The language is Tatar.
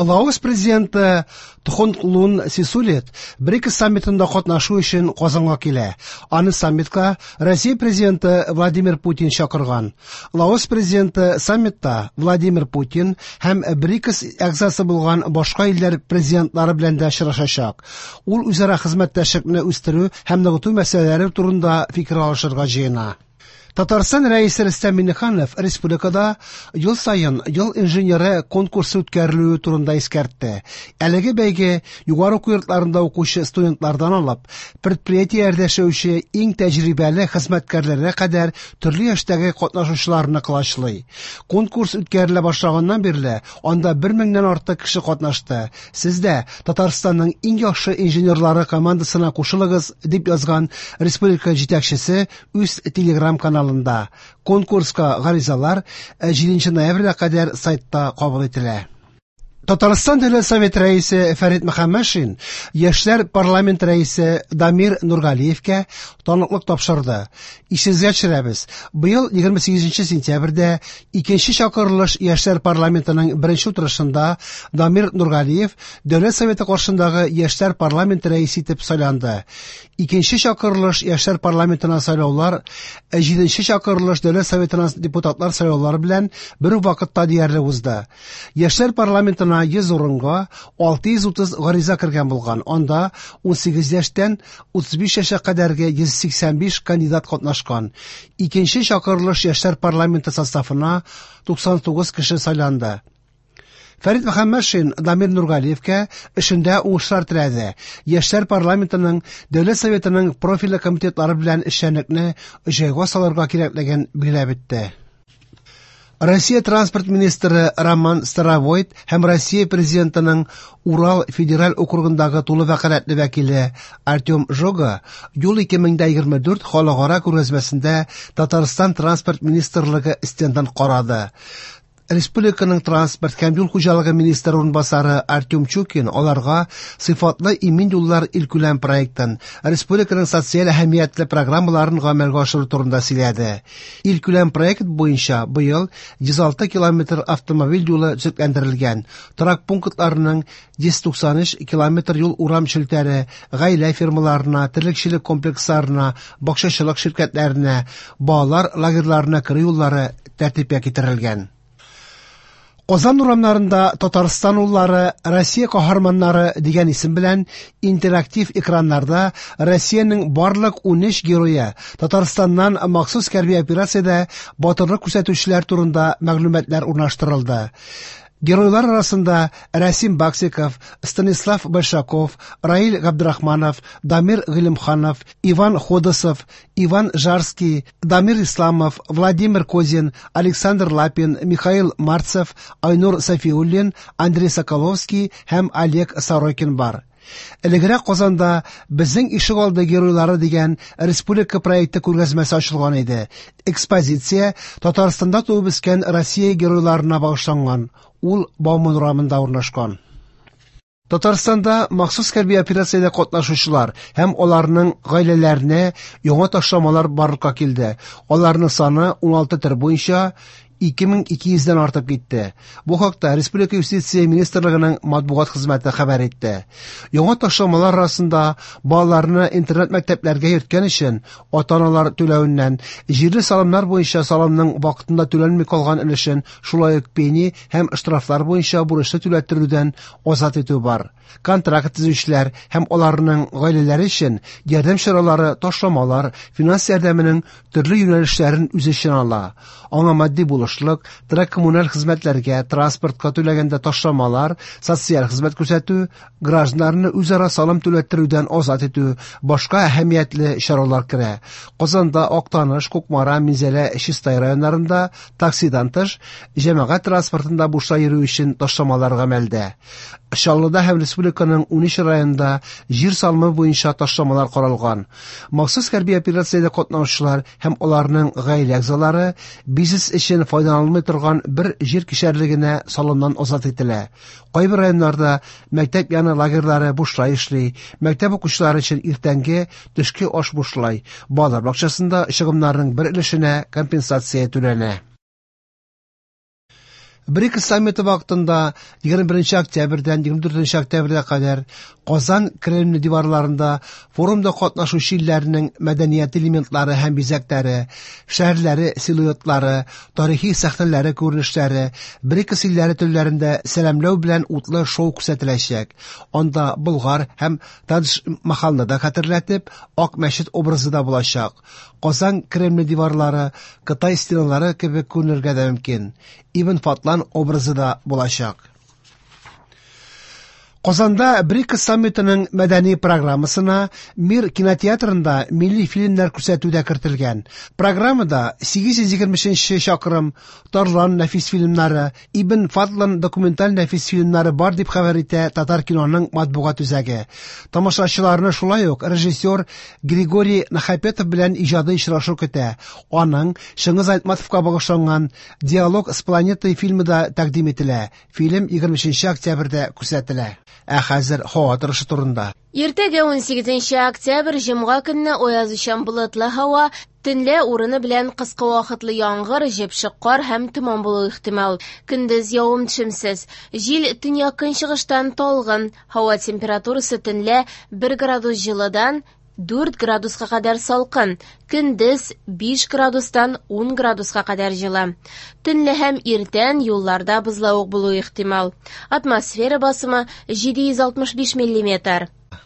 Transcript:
Лаос президенты Тхонглун Сисулит БРИКС саммитында катнашу өчен Казанга килә. Аны саммитка Россия президенты Владимир Путин чакырган. Лаос президенты саммитта Владимир Путин һәм БРИКС әгъзасы булган башка илләр президентлары белән дә очрашачак. Ул үзара хезмәттәшлекне үстерү һәм ныгыту мәсьәләләре турында фикер алышырга җыена. Татарстан Рәисе Рөстәм Миңнеханов республикада ел саен Ел инженеры конкурсы үткәрелүе турында искәртте. Әлеге бәйге югары уку йортларында укучы студентлардан алып, предприятиеләрдә эшләүче иң тәҗрибәле хезмәткәрләргә кадәр төрле яшьтәге катнашучыларны колачлый. Конкурс үткәрелә башлаганнан бирле анда 1 меңнән артык кеше катнашты. Сез дә Татарстанның иң яхшы инженерлары командасына кушылыгыз, дип язган республика җитәкчесе үз телеграм-каналында. Конкурска гаризалар 7 ноябрьгә кадәр сайтта кабул ителә. Татарстан Дәүләт Советы рәисе Фәрит Мөхәммәтшин Яшьләр парламент рәисе Дамир Нургалиевкә таныклык тапшырды. Исегезгә төшерәбез, быел 28 сентябрьдә икенче чакырылыш Яшьләр парламентының беренче утырышында Дамир Нургалиев Дәүләт Советы каршындагы Яшьләр парламенты рәисе итеп сайланды. Икенче чакырылыш Яшьләр парламентына сайлаулар 7 чакырылыш Дәүләт Советына депутатлар сайлаулары белән бер үк вакытта диярлек узды. Яшьләр парламентына 100 урынга 630 гариза кергән булган. Анда 18 яшьтән 35 яшькә кадәрге 185 кандидат катнашкан. Икенче чакырылыш Яшьләр парламенты составына 99 кеше сайланды. Фәрит Мөхәммәтшин Дамир Нургалиевкә эшендә уңышлар теләде. Яшьләр парламентының Дәүләт Советының профильле комитетлары белән эшчәнлекне җайга салырга кирәклеген билгеләп үтте. Россия транспорт министры Роман Старовойт һәм Россия президентының Урал федераль округындагы тулы вәкаләтле вәкиле Артем Жога Юл 2024 халыкара күргәзмәсендә Татарстан транспорт министрлыгы стендын карады. Республиканың транспорт һәм юл хуҗалыгы министры урынбасары Артем Чукин аларга сыйфатлы имин юллар илкүләм проектын, республиканың социаль әһәмиятле программаларын гамәлгә ашыру турында сөйләде. Илкүләм проект буенча быел 106 километр автомобиль юлы төзекләндерелгән, торак пунктларының 193 километр юл урам челтәре, гаилә фермаларына, терлекчелек комплексларына, бакчачылык ширкәтләренә, балалар лагерьларына керү юллары тәртипкә китерелгән. Казан урамнарында Татарстан уллары, Россия каһарманнары дигән исем белән интерактив экраннарда Россиянең барлык 13 герое Татарстаннан махсус хәрби операциядә батырлык күрсәтүчеләр турында мәгълүматлар урнаштырылды. Геройлар арасында Рәсим Баксиков, Станислав Большаков, Раил Габдрахманов, Дамир Гыйлемханов, Иван Ходосов, Иван Жарский, Дамир Исламов, Владимир Козин, Александр Лапин, Михаил Марцев, Айнур Сафиуллин, Андрей Соколовский һәм Олег Сорокин бар. Элегрәк Казанда Безнең ишегалды геройлары дигән республика проекты күргәзмәсе ачылган иде. Экспозиция Татарстанда туып үскән Россия геройларына багышланган. Ул Бауман урамында урнашкан. Татарстанда махсус хәрби операциядә катнашучылар һәм аларның гаиләләренә яңа ташламалар барлыкка килде. Аларның саны 16 төр буенча 2200-дән артып китте. Бу хакта Республика юстиция министрлыгының матбугат хезмәте хәбәр итте. Яңа ташламалар арасында балаларны интернат мәктәпләргә йөрткән өчен ата-аналар түләвеннән, җирле салымнар буенча салымның вакытында түләнми калган өлешен, шулай ук пени һәм штрафлар буенча бурычны түләттерүдән азат итү бар. Контракт төзүчеләр һәм аларның гаиләләре өчен ярдәм чаралары, ташламалар, финанс ярдәменең төрле юнәлешләрен үз эченә ала. Аңа матди булышлык, торак-коммуналь хезмәтләргә, транспортка түләгәндә ташламалар, социаль хезмәт күрсәтү, гражданнарны үзара салым түләттерүдән азат итү, башка әһәмиятле чаралар керә. Казанда, Актаныш, Кукмара, Минзәлә, Чистай районнарында таксидан тыш җәмәгать транспортында бушлай йөрү өчен ташламалар гамәлдә. Чаллыда һәм республиканың 13 районында җир салымы буенча ташламалар каралган. Махсус хәрби операциядә катнашучылар һәм аларның гаилә әгъзалары бизнес өчен файдаланылмый торган бер җир кишәрлегенә салымнан азат ителә. Кайбер районнарда мәктәп яны лагерьлары бушлай эшли, мәктәп укучылары өчен иртәнге, төшке аш бушлай, балалар бакчасында чыгымнарның бер өлешенә компенсация түләнә. БРИКС саммиты вакытында 21 октябрьдән 24 октябрьгә кадәр Казан Кремле диварларында форумда катнашучы илләрнең мәдәният элементлары һәм бизәкләре, шәһәрләре силуэтлары, тарихи сәхнәләре күренешләре, БРИКС илләре телләрендә сәламләү белән утлы шоу күрсәтеләчәк. Анда Болгар һәм Тадж-Махалны да хәтерләтеп, Ак мәчет образы да булачак. Казан Кремле диварлары Кытай стеналары кебек күренергә дә мөмкин. Ибн Фадлан образы да булачак. Казанда БРИКС саммитының мәдәни программасына Мир кинотеатрында милли фильмнар күрсәтү дә кертелгән. Программада 823 чакрым, Тарлан нәфис фильмнары, Ибн Фадлан документаль нәфис фильмнары бар дип хәбәр итә Татар киноның матбугат үзәге. Тамашачыларны шулай ук режиссер Григорий Нахапетов белән иҗади очрашу көтә. Аның Чыңгыз Айтматовка багышланган Диалог с планетой фильмы да тәкъдим ителә. Фильм 23 октябрьдә күрсәтелә. Ә хәзер һава торышы турында. Иртәгә 18 октябрь җомга көнне аязучан болытлы һава, төнлә урыны белән кыска вакытлы яңгыр, җепшек кар һәм томан булуы ихтимал. Көндез явым-төшемсез. Җил төньяк-көнчыгыштан талгын. Һава температурасы төнлә 1 градус җылыдан 4 градуска кадәр салкын, көндез 5 градустан 10 градуска кадәр җылы. Төнлә һәм иртән юлларда бозлавык булуы ихтимал. Атмосфера басымы 765 миллиметр.